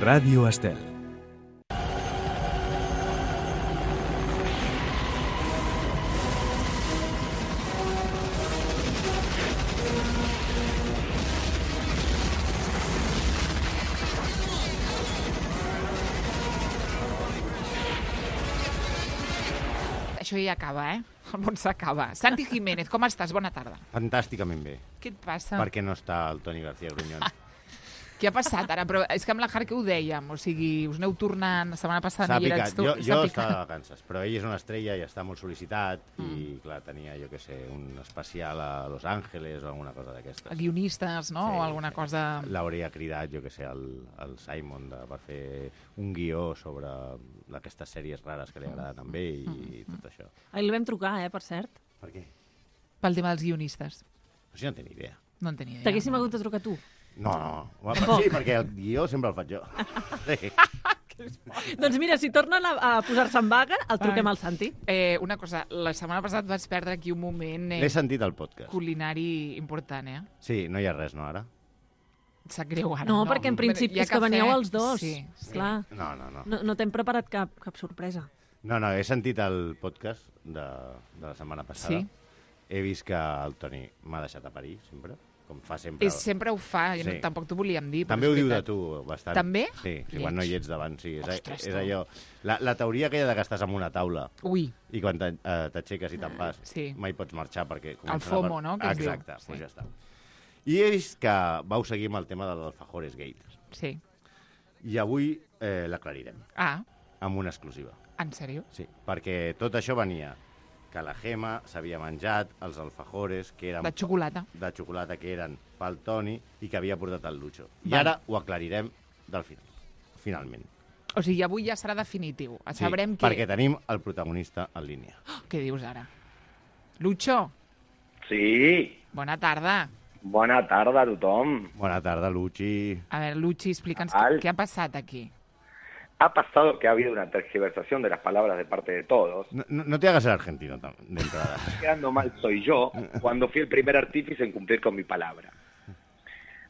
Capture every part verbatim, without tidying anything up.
Ràdio Estel. Això ja acaba, eh? El món s'acaba. Santi Jiménez, com estàs? Bona tarda. Fantàsticament bé. Què et passa? Perquè no està el Toni García Gruñón. Què ha passat ara? Però és que amb la Har que ho dèiem, o sigui, us aneu tornant, la setmana passada S'ha no hi picat. eres tu. Jo, jo S'ha estava de picat. vacances, però ell és una estrella i està molt sol·licitat Mm. i, clar, tenia, jo què sé, un especial a Los Ángeles o alguna cosa d'aquestes. Guionistes, no? Sí, o alguna sí. cosa... L'hauria cridat, jo què sé, el, el Simon de, per fer un guió sobre aquestes sèries rares que li agraden a ell i tot això. Ahir li vam trucar, eh, per cert. Per què? Pel tema dels guionistes. Però si no té ni idea. No en tenia idea. T'haguéssim no. hagut de trucar tu. No, no. Tampoc. Sí, perquè el guió sempre el faig jo. Sí. Doncs mira, si tornen a, a posar-se en vaga, el truquem Ai. al Santi. Eh, una cosa, la setmana passada et vaig perdre aquí un moment eh, L'he sentit al podcast. culinari important, eh? Sí, no hi ha res, no, ara? Et sap greu ara, No, no? perquè en principi Hi ha és que cafè. veníeu els dos. Sí, sí. Clar. No, no, no. No, no t'hem preparat cap, cap sorpresa. No, no, he sentit el podcast de, de la setmana passada. Sí. He vist que el Toni m'ha deixat a parir, sempre, com fa sempre. I sempre ho fa, sí. no, Sí. tampoc t'ho volíem dir. però També és ho diu de veritat. tu, bastant. També? Sí, sí Lleig. quan no hi ets davant, sí. És, Ostres, és tu. allò... La, la teoria aquella de que estàs en una taula Ui, i quan te- eh, t'aixeques i te'n vas, Sí. mai pots marxar perquè... El comencen a FOMO, par- no?, que es diu. Exacte, Sí. doncs ja està. I he vist que vau seguir amb el tema de l'Alfajores Gate. sí. I avui eh, l'aclarirem, Ah, amb una exclusiva. en sèrio? Sí, perquè tot això venia que la Gemma s'havia menjat els alfajores que eren De xocolata. de xocolata que eren pel Toni i que havia portat el Lucho. I Val. ara ho aclarirem del final, finalment. O sigui, avui ja serà definitiu. Sí, Sabrem què... perquè tenim el protagonista en línia. Què dius ara? Lucho, Sí, bona tarda. bona tarda a tothom. Bona tarda, Luchi. A veure, Luchi, explica'ns Al- què, què ha passat aquí. Ha pasado que ha habido una tergiversación de las palabras de parte de todos. No, no, no te hagas el argentino tam- de entrada. Quedando mal soy yo cuando fui el primer artífice en cumplir con mi palabra.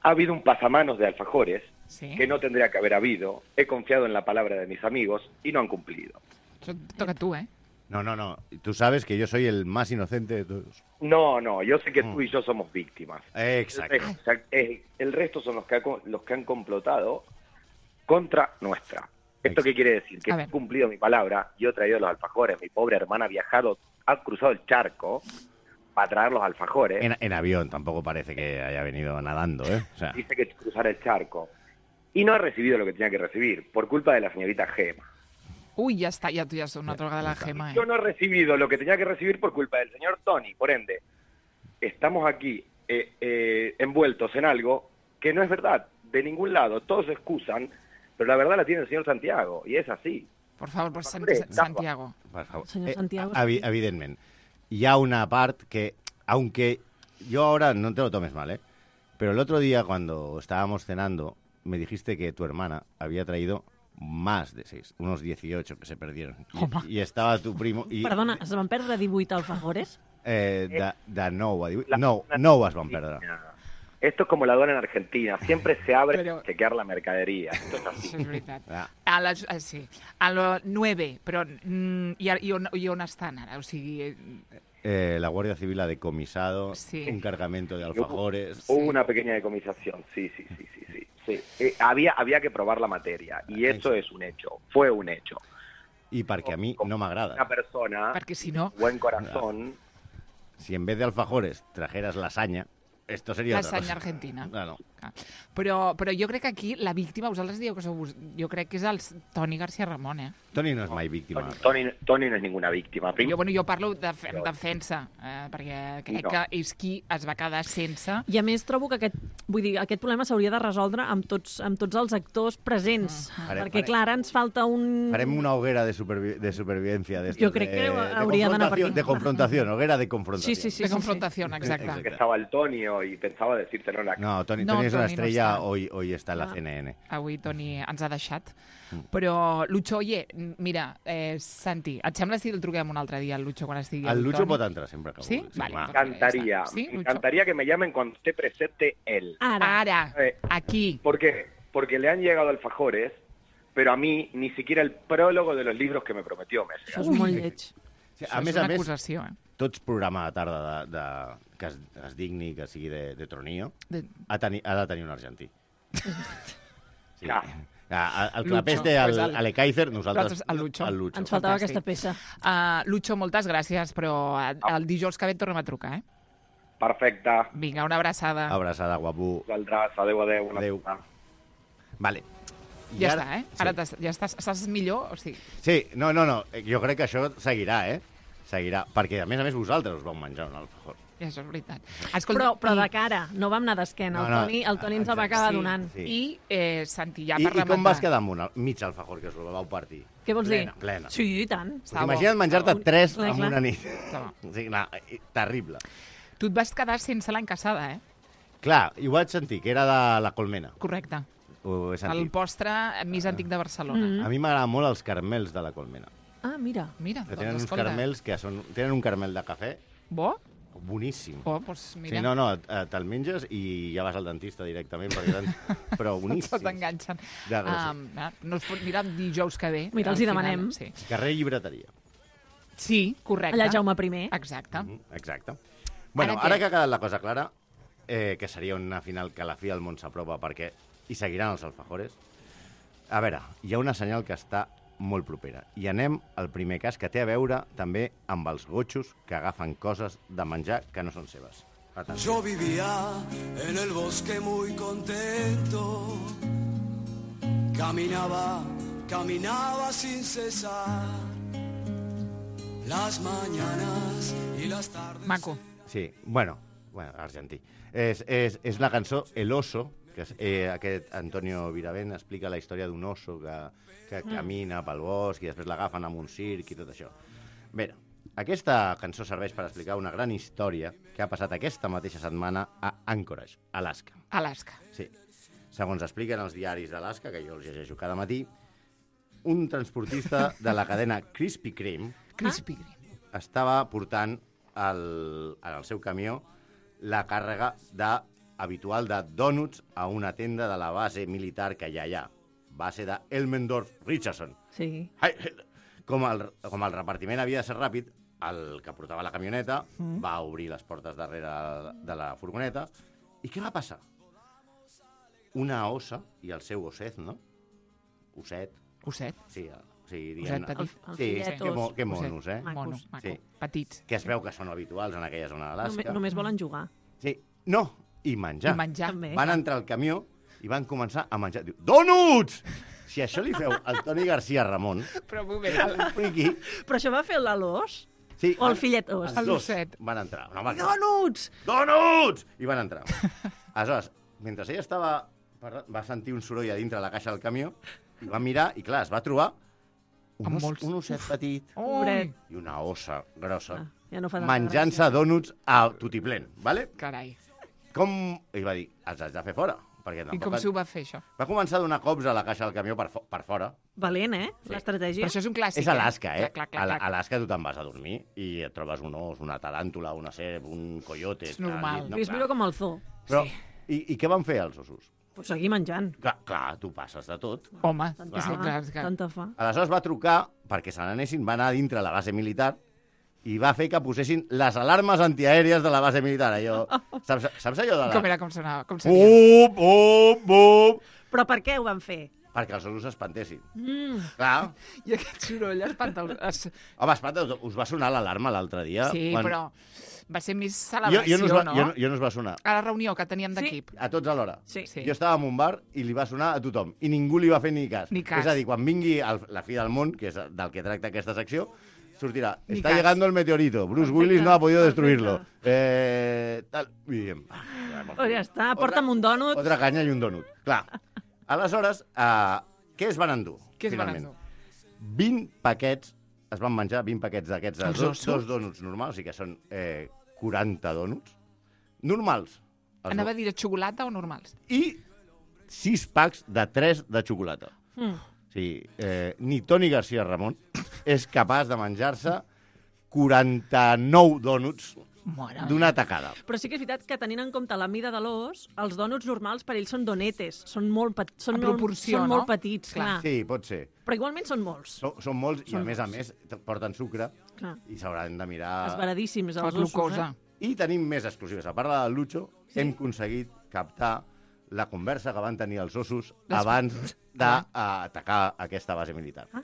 Ha habido un pasamanos de alfajores Sí? que no tendría que haber habido. He confiado en la palabra de mis amigos y no han cumplido. Això et toca a tu, eh? No, no, no. Tú sabes que yo soy el más inocente de todos. No, no, yo sé que Mm. tú y yo somos víctimas. Exacto. El resto, o sea, eh, el resto son los que, ha co- los que han complotado contra nuestra. ¿Esto qué quiere decir? Que A he ver. cumplido mi palabra, yo he traído los alfajores, mi pobre hermana ha viajado, ha cruzado el charco para traer los alfajores, En, en avión, tampoco parece que haya venido nadando, ¿eh? O sea, dice que cruzar el charco, y no ha recibido lo que tenía que recibir, por culpa de la señorita Gema. Ui, ja està, ja tu ja ets una droga de la Gemma, eh? Yo no he recibido lo que tenía que recibir por culpa del señor Tony, por ende, estamos aquí eh, eh, envueltos en algo que no es verdad, de ningún lado, todos se excusan, pero la verdad la tiene el señor Santiago, y es así. Per favor, per Sant Hombre, Santiago. por favor. Señor Santiago, a- evi- evidentment. Hi ha una part que, aunque yo ahora no te lo tomes mal, ¿eh? Pero el otro día cuando estábamos cenando, me dijiste que tu hermana había traído más de seis, unos dieciocho que se perdieron. Y, Home. y estaba tu primo... I, perdona, es van perdre divuit alfajores? Eh, de, de nou a divuit. La- No, no es van perdre. Esto es como la aduana en Argentina, siempre se abre Pero- para chequear la mercadería. Esto es así. Això és veritat. Ah. A les, eh, sí, a les nueve, però mm, i, i, on, i on estan ara? O sigui, eh, Eh, la Guardia Civil ha decomisado Sí. un cargamento de alfajores. Hubo una pequeña decomisación, sí, sí, sí, sí, sí. sí. Eh, había, había que probar la materia, y eso es un hecho, fue un hecho. I perquè a mi no Una m'agrada. persona, perquè si no, buen corazón, Si en vez de alfajores trajeras lasaña, esto sería otra lasaña cosa. argentina. Claro. Ah. Però, però jo crec que aquí la víctima, vosaltres dieu que sou... vos- Jo crec que és el Toni García Ramon, eh? Toni no és mai víctima. Tony, Tony, Tony no es ninguna víctima. Prim- Jo, bueno, jo parlo de, en defensa, eh, perquè crec No. que és qui es va quedar sense... I a més trobo que aquest, vull dir, aquest problema s'hauria de resoldre amb tots, amb tots els actors presents. Ah. Farem- Perquè, clar, ara ens falta un... Farem una hoguera de, supervi de supervivencia. De Jo crec de, que de hauria d'anar per confrontación- aquí. De confrontación, hoguera de confrontación. Sí, sí, sí. de confrontació, exacte. Exacte. que estaba el Tonio y pensaba decírtelo en la No, Toni, No, Toni és una Toni no estrella, està. hoy, hoy está en la Ah. C N N. Avui Toni ens ha deixat. Però, Lucho, oye, mira, eh, Santi, et sembla si el truquem un altre dia al Lucho quan estigui El el Lucho Toni? pot entrar sempre que Sí? vulgui. Vale, va. doncs- Me encantaría, Sí, me Lucho. encantaría que me llamen cuando esté presente él. Ara. Ara, Eh. aquí. ¿Por qué? porque le han llegado alfajores, pero a mí ni siquiera el prólogo de los libros que me prometió me ha Això llegado. és molt lleig. Sí, Això a és més una a més, acusació, eh? tots programa de tarda de, de, que es, es digni, que sigui de, de tronillo, De... ha, teni, ha de tenir un argentí. Sí. Clar. Ah, el Lucho, clapés té el, pues el- l'Ekaizer, nosaltres nosaltres el Lucho. el Lucho. Ens faltava Fantàstic. aquesta peça. Uh, Lucho, moltes gràcies, però uh, el dijous que ve et tornem a trucar, eh? Perfecte. Vinga, una abraçada. Abraçada, guapo. Vosaltres, adeu, adeu. Una Adeu. puta. Vale. I Ja ara- està, eh? Sí. Ara t'has- ja estàs, estàs millor? O sigui, Sí, no, no, no, jo crec que això seguirà, eh? Seguirà, perquè a més a més vosaltres us vau menjar un alfajor. ja això és veritat. Però, però i- de cara, no vam anar d'esquena. No, El no, Toni, el Toni ens el va exacte, acabar sí. donant. Sí. I, eh, Santi, ja I, per I com rematar... vas quedar amb un al- mig alfajor que us el vau partir? Què vols Plena, dir? plena. Sí, i tant. Està bo. Imagina't menjar-te Un- tres clar, en clar. una nit. Està bo. O sigui, no, i- terrible. Tu et vas quedar sense l'any casada, eh? Clar, i ho vaig sentir, que era de la Colmena. Correcte. Ho he El sentit. postre més antic de Barcelona. Mm. A mi m'agraden molt els carmels de la Colmena. Ah, mira. Mira, Que tenen doncs uns escolta. carmels que són... Tenen un carmel de cafè Bo? boníssim. Oh, doncs mira. Sí, no, no, eh, te'l menges i ja vas al dentista directament, perquè eren... però boníssims. Tots t'enganxen. Ja, gràcies. Um, no es pot mirar dijous que ve. Mira, els al hi final, demanem. Sí. Carrer Llibreteria. sí, correcte. Allà Jaume primer. Exacte. Mhm, exacte. Bueno, Ara ara, què? que ha quedat la cosa clara, eh, que seria una final que a la fi el món s'apropa perquè hi seguiran els alfajores, a veure, hi ha una senyal que està molt propera. I anem al primer cas, que té a veure també amb els gotxos que agafen coses de menjar que no són seves. Atenció. Yo vivía en el bosque muy contento. Caminaba, caminaba sin cesar. Las mañanas y las tardes. Maco. Sí, bueno, bueno argentí. És, és, és la cançó El oso, que és, eh, aquest Antonio Viravent explica la història d'un oso que, que Mm. camina pel bosc i després l'agafen amb un circ i tot això. Bé, aquesta cançó serveix per explicar una gran història que ha passat aquesta mateixa setmana a Anchorage, Alaska. Alaska. Sí. Segons expliquen els diaris d'Alaska, que jo els llegeixo cada matí, un transportista de la cadena Krispy Kreme Krispy Kreme. estava portant el, en el seu camió la càrrega de, habitual de dònuts a una tenda de la base militar que hi ha allà, base de Elmendorf-Richardson. Sí. Ai, Com el, com el repartiment havia de ser ràpid, el que portava la camioneta mm. va obrir les portes darrere de la furgoneta. I què va passar? Una ossa i el seu osset, no? Osset. Osset. Sí, o sigui, Osset diguem-ne. petit. El- el Sí, fillet que, mo, os. que monos, eh? Macos. Mono, maco. Sí. Petits. Que es veu que són habituals en aquella zona d'Alaska. Només, només volen jugar. Sí. No, i menjar. I menjar. També. Van entrar al camió i van començar a menjar. Diu, dònuts! Si això li feu al Toni García Ramon, Però un moment, el friqui... Però això va fer l'Alós? Sí, O el van- fillet os? Els El dos osset. van entrar. No, va, Donuts! Dònuts! I van entrar. Aleshores, mentre ella estava... va sentir un soroll a dintre de la caixa del camió i va mirar i, clar, es va trobar un, Amb os, molts- un osset petit Ui, i una ossa grossa Ah, ja no fa tanta menjant-se gràcia. dònuts a tutiplén, ¿vale? carai. Com... I va dir, els haig de fer fora. Perquè I tampoc... com s'ho va fer, això? Va començar a donar cops a la caixa del camió per, fo per fora. Valent, eh? Sí. L'estratègia. Però això és un clàssic, És Alaska, eh? Clar, clar, clar, A clar. Alaska tu te'n vas a dormir i et trobes un os, una taràntula, una serp, un coyote... És normal. al llit. Vist millor com el zoo. Però, Sí. i, I què van fer els ossos? Pues seguir menjant. Clar, clar, tu passes de tot. Home, Tanta és fa. que, clar, és que... Tanta fa. Aleshores va trucar perquè se n'anessin, va anar a dintre la base militar i va fer que posessin les alarmes antiaèries de la base militar. Allò, saps, saps allò de la... Com era, com sonava? Com seria? Bup, bup, bup! Però per què ho van fer? Perquè els ossos s'espantessin. Mm. Clar. I aquest soroll espanta... El... Es... Home, espanta, us va sonar l'alarma l'altre dia? Sí, quan- però va ser més Jo, celebració, jo, no us va, no? jo, no- jo no us va sonar. A la reunió que teníem Sí. d'equip. A tots alhora. Sí. Sí. Jo estava en un bar i li va sonar a tothom. I ningú li va fer ni cas. Ni cas. És a dir, quan vingui el, la fi del món, que és del que tracta aquesta secció, sortirà. Ni Está cas. llegando el meteorito. Bruce Perfecte, Willis no ha podido perfecte. destruirlo. Eh, tal. I diem... Oh, ja està, porta'm un dònut. Otra canya i un dònut. Clar. Aleshores, uh, què es van endur? Què es van finalment? endur? vint paquets, es van menjar vint paquets d'aquests, de Els dos, ossos? dos dònuts normals, o sigui que són eh, quaranta dònuts, normals. Els Anava a dir de xocolata o normals? I sis packs de tres de xocolata. Mm. O sigui, eh, ni Toni García Ramon és capaç de menjar-se quaranta-nou dònuts Mare d'una tacada. Però sí que és veritat que tenint en compte la mida de l'os, els dònuts normals per ells són donetes, són molt, pet... són En molt, proporció, són no? molt petits, clar. Sí, pot ser. Però igualment són molts. Són, són molts i, Són a més a molts. més, porten sucre Clar. i s'hauran de mirar... Esveradíssims, Fa els ossos, glucosa. eh? I tenim més exclusives. A part del Lucho, Sí? hem aconseguit captar la conversa que van tenir els ossos Les- abans d'atacar aquesta base militar. Ah.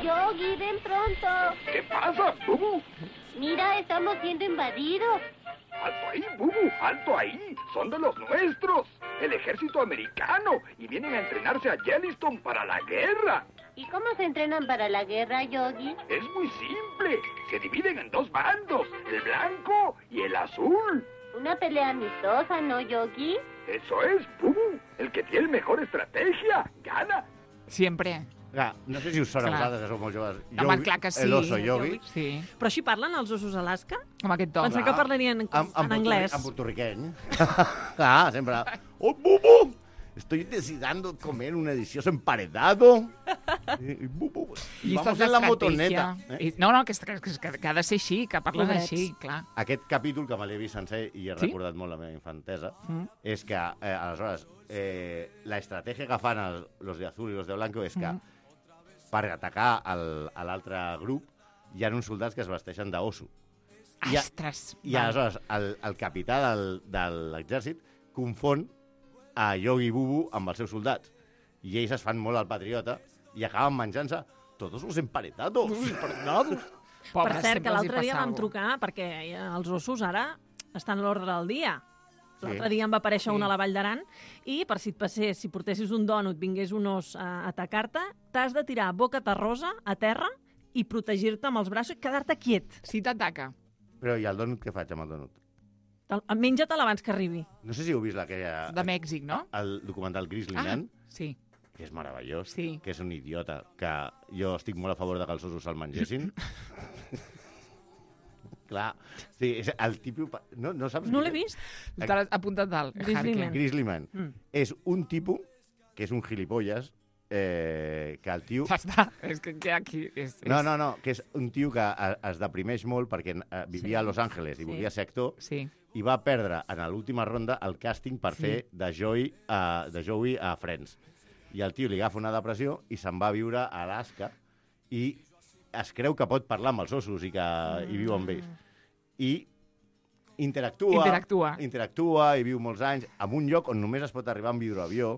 Yogi, ven pronto. ¿Qué pasa, Bubu? Mira, estamos siendo invadidos. ¡Alto ahí, Bubu! ¡Alto ahí! ¡Son de los nuestros! El ejército americano. Y vienen a entrenarse a Yellowstone para la guerra. ¿Y cómo se entrenan para la guerra, Yogi? Es muy simple. Se dividen en dos bandos. El blanco y el azul. Una pelea amistosa, ¿no, Yogi? Eso es, Bubu. El que tiene mejor estrategia gana. Sempre. Clar, no sé si us sona a Clar. vosaltres, que sou molt joves. Home, clar que sí. El oso yogi. Sí, Però així parlen els ossos Alaska? amb aquest to. Pensava que parlarien en, en, en anglès. En portorriqueny. Clar, sempre. Oh, bubu! Estoy decidiendo comer un delicioso emparedado. Y, bubu, Llistes vamos en la d'estratègia. motoneta. Eh? I- No, no, que, que, que, que ha de ser així, que parlen Pobrets. així, clar. Aquest capítol, que me l'he vist sencer i he Sí? recordat molt la meva infantesa, Mm. és que, eh, aleshores, eh, la estratègia que fan els, los de azul i los de blanco és que, Mm. per atacar el, a l'altre grup, hi ha uns soldats que es vesteixen d'oso. I a- Ostres. I va. aleshores el, el capità del, de l'exèrcit confon a Yogi Bubu amb els seus soldats. I ells es fan molt al patriota i acaben menjant-se tots els emparetados. Pobre, Per cert, sempre que els hi l'altre dia passa vam alguna trucar perquè els ossos ara estan a l'ordre del dia. Sí. L'altre dia em va aparèixer Sí. un a la Vall d'Aran i per si et passés, si portessis un dònut, vingués un os a atacar-te, t'has de tirar boca terrosa a terra i protegir-te amb els braços i quedar-te quiet. cosa. Si t'ataca. Però i el donut, què faig amb el donut? Te'l- Menja-te'l abans que arribi. No sé si heu vist aquella, De Mèxic, no? el documental Grizzly Ah, Man, sí. que és meravellós, Sí. que és un idiota, que jo estic molt a favor de que els ossos se'l mengessin. Clar, sí, és el tipus... No, no saps No qui l'he és? vist? T'has apuntat dalt. Grizzly Harker. Man. Grizzly Man. Mm. És un tipus que és un gilipolles, eh, que el tio... Ja està. És que, que aquí... És, és... No, no, no, que és un tio que eh, es deprimeix molt perquè eh, vivia Sí. a Los Angeles i Sí. volia ser actor Sí. i va perdre en l'última ronda el càsting per Sí. fer de Joey, a, de Joey a Friends. I el tio li agafa una depressió i se'n va a viure a Alaska i es creu que pot parlar amb els ossos i que hi viu amb ells. I interactua, Interactua. interactua i viu molts anys en un lloc on només es pot arribar amb hidroavió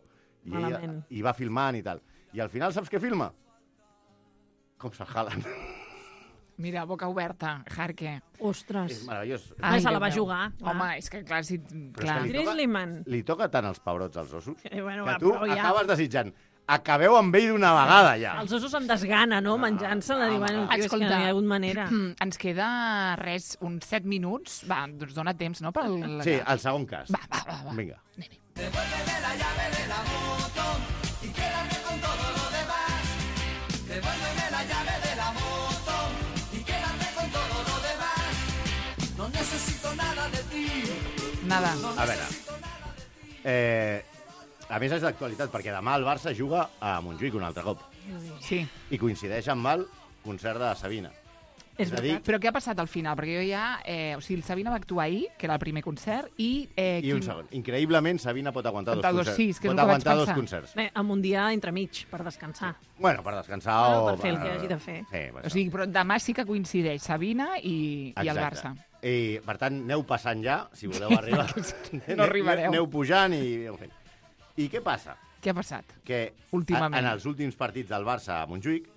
i, ella, Malament. i va filmant i tal. I al final saps què filma? Com se'l jalen. Mira, boca oberta, Harker. Ostres. És meravellós. Ah, se la Déu va meu. jugar, clar. Home, és que clar, si... Però és Clar. que li toca- Grizzly Man. Li toca tant els pebrots als ossos Eh, bueno, que va, tu però ja. acabes desitjant acabeu amb ell d'una vegada ja. Els ossos amb desgana, no? Menjant-se-la. ah, Diu, bueno, ah. tio, és que no hi ha hagut manera. Mm, ens queda res, uns set minuts. Va, doncs dona temps, no? Per el... Sí, el segon cas. Va, va, va. va. Vinga. Devuélveme la llave de la moto y quédate con todo lo demás. Devuélveme la llave de la moto y quédate con todo lo demás. No necesito nada de ti. Nada. A veure. Eh, a més és d'actualitat, perquè demà el Barça juga a Montjuïc un altre cop. Sí. I coincideix amb el concert de Sabina. És És a dir, veritat. Però què ha passat al final? Perquè jo ja... Eh, o sigui, el Sabina va actuar ahir, que era el primer concert, i... Eh, I un quin- segon. Increïblement, Sabina pot aguantar dos Aguantar dos, concerts. sí, és que és pot el que vaig aguantar dos pensar. concerts. Bé, amb un dia entremig, per descansar. Bueno, per descansar Bueno, o... per fer el que hagi de fer. Sí, per O sigui, però demà sí que coincideix Sabina i, i el Barça. I, per tant, aneu passant ja, si voleu arribar. No arribareu. Aneu pujant i aneu fent. I què passa? Què ha passat? Que Últimament. a- en els últims partits del Barça a Montjuïc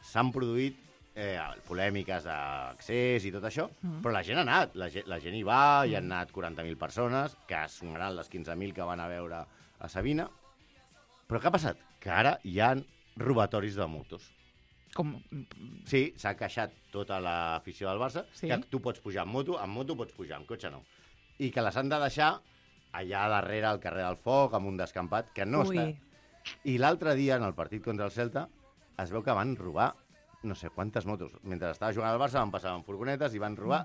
s'han produït eh, polèmiques d'accés i tot això, mm. però la gent ha anat, la gent, la gent hi va, hi han anat quaranta mil persones, que sonaran les quinze mil que van a veure a Sabina, però què ha passat? Que ara hi ha robatoris de motos. Com... Sí, s'ha queixat tota l'afició del Barça, Sí. que tu pots pujar en moto, en moto pots pujar, en cotxe no. I que les han de deixar allà darrere al carrer del Foc, amb un descampat, que no Ui. està. I l'altre dia, en el partit contra el Celta, es veu que van robar no sé quantes motos. Mentre estava jugant al Barça van passar en furgonetes i van robar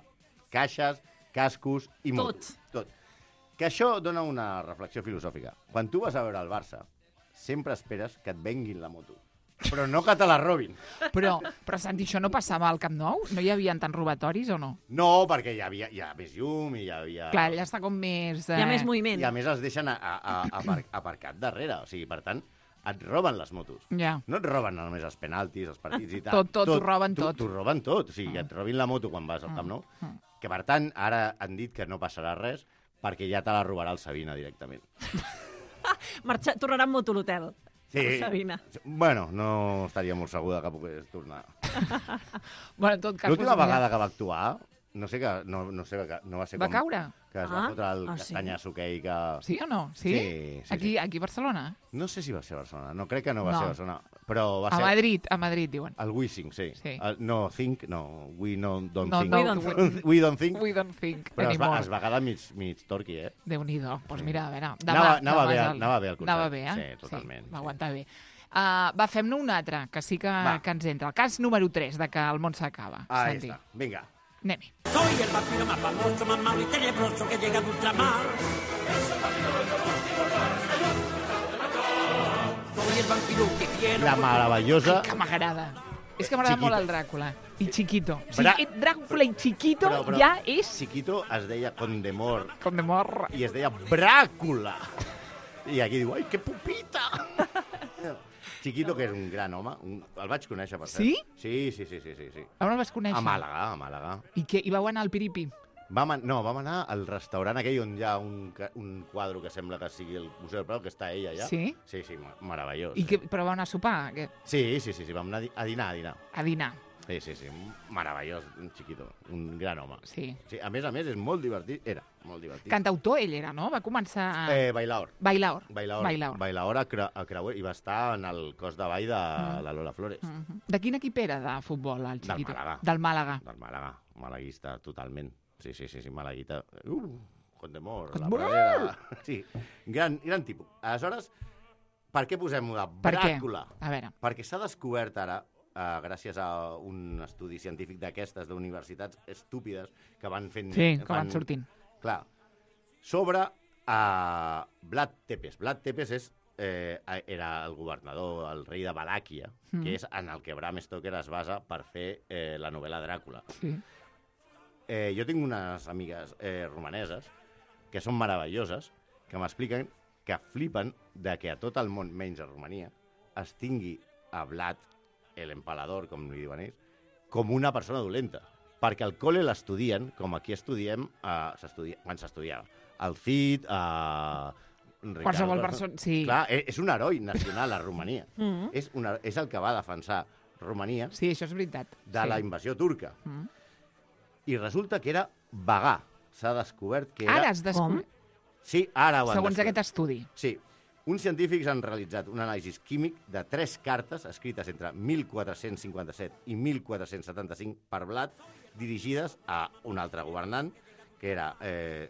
caixes, cascos i motos. Tot. Que això dona una reflexió filosòfica. Quan tu vas a veure el Barça, sempre esperes que et venguin la moto. però no que te la robin. Però, però Santi, això no passava al Camp Nou? No hi havia tants robatoris o no? No, perquè hi havia, hi ha més llum i hi havia... Clar, allà està com més... Hi ha més moviment. I a més els deixen a, a, a, apar aparcat darrere, o sigui, per tant, et roben les motos. Ja. No et roben només els penaltis, els partits i tal. Tot, tot, t'ho roben tot. T'ho roben tot, o sigui, que et robin la moto quan vas al Camp Nou, que per tant, ara han dit que no passarà res perquè ja te la robarà el Sabina directament. Marxa, tornarà amb moto a l'hotel. Sí. Sabina. Bueno, no estaria molt segur que pogués tornar. Bueno, en tot cas... L'última doncs, vegada que va actuar, no sé que no, no, sé que no va ser Va com... caure? Que es va Ah, fotre el ah, sí? castanyasso aquell que... Sí o no? Sí? Sí, sí, aquí, sí. aquí a Barcelona? No sé si va ser a Barcelona, no, crec que no va No. ser a Barcelona, però va A ser... Madrid, a Madrid, diuen. El We Think, sí. Sí. El, no, Think, no, We no, Don't No, Think. no, We don't think. We Don't Think. We don't think Però es va, anymore. es va quedar mig, mig torqui, eh? Déu-n'hi-do. Doncs pues mira, a veure... Demà, Anava- anava demà bé, és el- anava bé el concert. Anava bé, eh? Sí, totalment, Sí, va sí. aguantar bé. Uh, va, fem-ne un altre, que sí que, Va. que ens entra. El cas número tres, de que el món s'acaba. Ahí Santi. està, vinga. Anem-hi. Soy el vampiro más famoso, más malo y tenebroso que llega de ultramar. Soy el vampiro que quiero... La meravellosa... Que m'agrada. És que m'agrada Chiquito. molt el Dràcula. I Chiquito. O sigui, Bra- eh, Dràcula i Chiquito Però- però- ja és... Chiquito es deia Condemor Com de mort. i es deia Bràcula. I aquí diu, ai, que pupita! Chiquito, que és un gran home, un... el vaig conèixer, per cert. Sí? Sí, sí, sí, sí, sí, sí. On el vas conèixer? A Màlaga, a Màlaga. I, què, I vau anar al Piripi? Vam, an- no, vam anar al restaurant aquell on hi ha un, ca- un quadre que sembla que sigui el Museu del Prado, que està ella allà. Sí? Sí, sí, ma- meravellós. I que, però vau anar a sopar? Que, Sí, sí, sí, sí, vam anar a di- a dinar, a dinar. a dinar? Sí, sí, sí, meravellós, un Chiquito, un gran home. Sí. Sí, a més a més, és molt divertit, era molt divertit. Cantautor ell era, no? Va començar... A... Eh, Bailaor. Bailaor. Bailaor. Bailaor. Bailaor a, Cra a Creuer i va estar en el cos de ball de la Lola Flores. Mhm. De quin equip era de futbol, el Del Chiquito? Màlaga. Del Màlaga. Del Màlaga, malaguista, totalment. Sí, sí, sí, sí Malaguita. Uh, Condemor, la Condemor! Pradera. Sí, gran, gran tipus. Aleshores, per què posem la Per què? Bràcula? A veure. Perquè s'ha descobert ara, eh, gràcies a un estudi científic d'aquestes, d'universitats estúpides, que van fent... Sí, que van sortint. Clar, sobre eh, Vlad Tepes. Vlad Tepes és, eh, era el governador, el rei de Valàquia, Mm. que és en el que Bram Stoker es basa per fer eh, la novel·la Dràcula. Sí. Eh, jo tinc unes amigues eh, romaneses que són meravelloses, que m'expliquen que flipen de que a tot el món, menys a Romania, es tingui a Vlad, l'empalador, com li diuen ells, com una persona dolenta. Perquè al col·le l'estudien, com aquí estudiem, eh, s'estudia, quan s'estudiava. El Cid, eh, Ricardo... Qualsevol persona... Sí. Clar, és, és un heroi nacional a Romania. Mhm. és, una, és el que va defensar Romania Sí, això és veritat. de sí. la invasió turca. Mm. I resulta que era vegà. S'ha descobert que era... Ara has descobert... Sí, ara ho han Segons descobert. aquest estudi. Sí. Uns científics han realitzat un anàlisi químic de tres cartes escrites entre mil quatre-cents cinquanta-set i mil quatre-cents setanta-cinc per Vlad, dirigides a un altre governant, que era eh,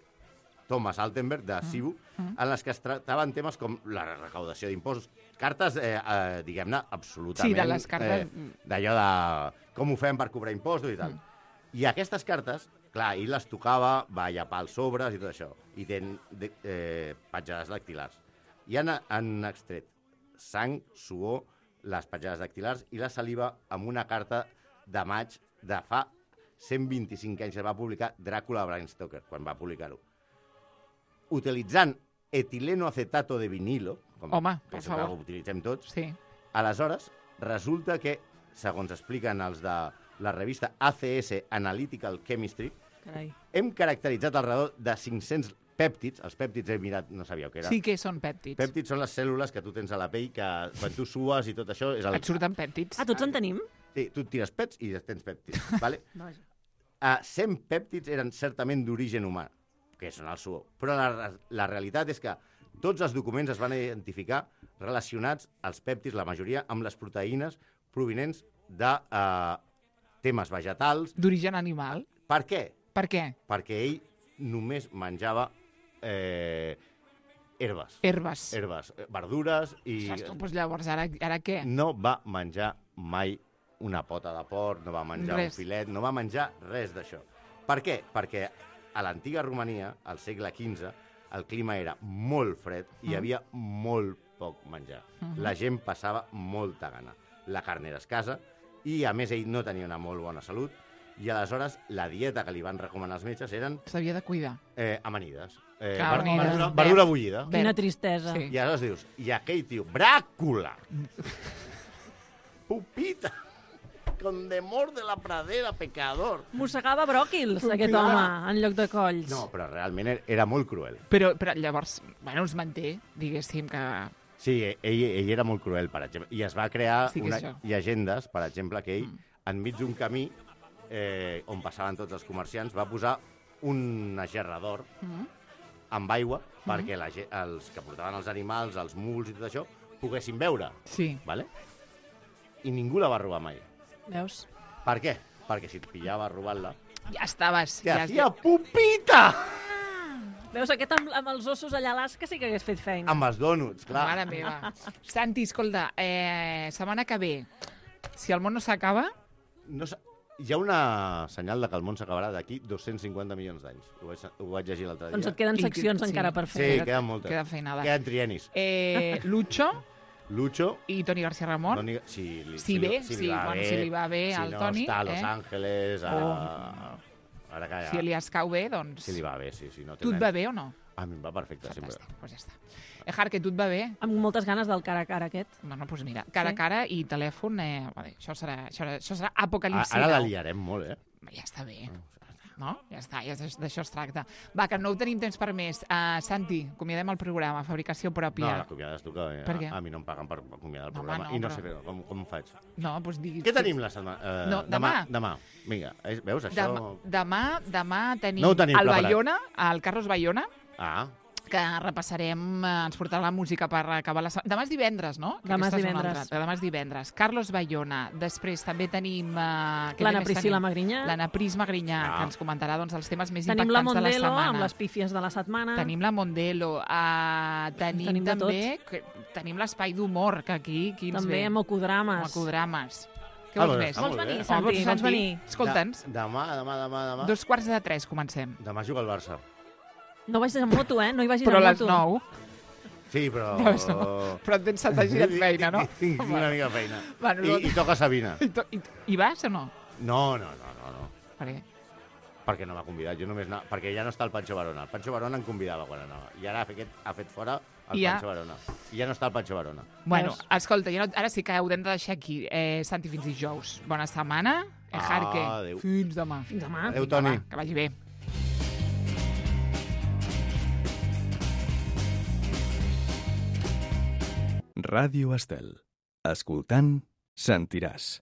Thomas Altenberg, de Cibu, Mm. en les que es tractaven temes com la recaudació d'impostos. Cartes, eh, eh, diguem-ne, absolutament... Sí, de les cartes- Eh, d'allò de com ho fem per cobrar impostos i tal. Mm. I aquestes cartes, clar, ell les tocava, va llapar els sobres i tot això, i tenen de, eh, petjades dactilars. I han, han extret sang, suor, les petjades dactilars i la saliva amb una carta de maig de fa cent vint-i-cinc anys. Es va publicar Dràcula de Bram Stoker, quan va publicar-ho. Utilitzant etilenoacetato de vinilo, com Home, que per és el favor. que utilitzem tots, Sí. aleshores, resulta que, segons expliquen els de la revista A C S Analytical Chemistry, Carai. hem caracteritzat alrededor de cinc-cents pèptids. Els pèptids he mirat, no sabíeu què era. Sí que són pèptids. Pèptids són les cèl·lules que tu tens a la pell, que quan tu sues i tot això... És el... Et surten pèptids. Ah, tots en tenim? Sí, tu et tires pets i tens pèptids. Vale? Vaja. Uh, cent pèptids eren certament d'origen humà, que són el suor. Però la, la realitat és que tots els documents es van identificar relacionats als pèptids, la majoria, amb les proteïnes provinents de uh, temes vegetals. D'origen animal. Per què? Per què? Perquè ell només menjava eh, herbes. Herbes. Herbes, eh, verdures i... Ostres, tu, doncs llavors, ara, ara què? No va menjar mai una pota de porc, no va menjar Res. un filet, no va menjar res d'això. Per què? Perquè a l'antiga Romania, al segle quinze, el clima era molt fred i hi havia molt poc menjar. Mhm. La gent passava molta gana. la carn era escassa, i a més ell no tenia una molt bona salut, i aleshores la dieta que li van recomanar els metges eren S'havia de cuidar. eh, amanides. Eh, Carnides. verdura, verdura bullida. Quina tristesa. Sí. I aleshores dius, i aquell tio, Bràcula, pupita, condemor de la pradera, pecador. Mossegava bròquils, aquest home, en lloc de colls. No, però realment era- era molt cruel. Però, però llavors, bueno, es manté, diguéssim, que... Sí, ell, ell era molt cruel, per exemple. I es va crear Sí que una, això. llegendes, per exemple, que ell, mm. enmig d'un camí eh, on passaven tots els comerciants, va posar un agerrador Mm. amb aigua perquè la, ge- els que portaven els animals, els muls i tot això, poguessin beure. Sí. ¿Vale? I ningú la va robar mai. Veus? Per què? Perquè si et pillava robant-la, Ja estaves. te ja, hacía pupita! Veus, aquest amb, amb els ossos allà a l'Alaska sí que hagués fet feina. Amb els dònuts, clar. Mare meva. Santi, escolta, eh, setmana que ve, si el món no s'acaba, No sa- Hi ha una senyal de que el món s'acabarà d'aquí dos-cents cinquanta milions d'anys. Ho, vaig, ho vaig llegir l'altre dia. Doncs et queden I- seccions sí. encara per Sí, fer. queden moltes. queda feinada. Queden trienis. Eh, Lucho Lucho, i Toni García Ramon. Toni, si, li, Si li- bé, li sí, va bueno, bé, si li va bé si al no Toni, està a Los eh? Angeles, a... Oh. Ara que ja... Si li escau bé, doncs... Si li va bé, sí. sí no té Tu et nen. va bé o no? A mi em va perfecte, sempre. Fantàstic, doncs ja està. Eh, Harque, tu et va bé? Amb moltes ganes del cara a cara aquest. Bueno, doncs mira, cara Sí. a cara i telèfon, eh, vale, això serà, això, serà- això serà A, apocalipsi. ara la nou. liarem molt, eh? Ja està bé. No? Ja està, ja és- d'això es tracta. Va, que no ho tenim temps per més. Uh, Santi, acomiadem el programa, fabricació No, pròpia. l'acomiades tu, que a, Per què? a mi no em paguen per acomiadar el Home, programa. no, I no però- sé fer, com, com ho faig. No, doncs diguis... Què tenim la setmana? Eh, No, demà. Demà. Vinga, eh, veus, això... Demà, demà, demà tenim, No ho tenim el preparat. Bayona, el Carlos Bayona, Ah, que repassarem, eh, ens portarà la música per acabar la setmana. Demà és divendres, no? Que Demà és aquesta una divendres. altra. Demà és divendres. Carlos Bayona. Després també tenim... Uh, L'Anna Priscila Magrinyà. L'Anna Pris Magrinyà, Ah. que ens comentarà doncs, els temes més Tenim la impactants de la Mondelo setmana. amb les pífies de la setmana. Tenim la Mondelo. Uh, tenim, Tenim de també... Que, tenim l'espai d'humor, que aquí, aquí ens També ve. amb Ocodrames. Mocodrames. Què Ah, vols doncs més? està Vols molt venir, bé. Santi? Home, Vols venir? Escolta'ns. De- demà, demà, demà, demà. Dos quarts de tres comencem. Demà juga el Barça. No vagis amb moto, eh? No hi vagis Però a amb les moto. nou. Sí, però... No, no. Però et tens setanta girat feina, no? Tinc una mica de feina. Bueno, I, no- I toca Sabina. I, to, i, I vas o no? No, no, no, no, no. Per què? Perquè no m'ha convidat. Jo només anava... Perquè ja no està el Pancho Varona. El Pancho Varona em convidava quan anava. I ara ha fet, ha fet fora el I ja- Pancho Varona. I ja no està el Pancho Varona. Bueno, Veus? escolta, ja no, ara sí que ho hem de deixar aquí. Eh, Santi, fins dijous. Bona setmana. Eh, Harque. Adéu. Fins demà. Fins demà. Adéu, Vinga, Toni. va, que vagi bé. Ràdio Estel. Escoltant, sentiràs.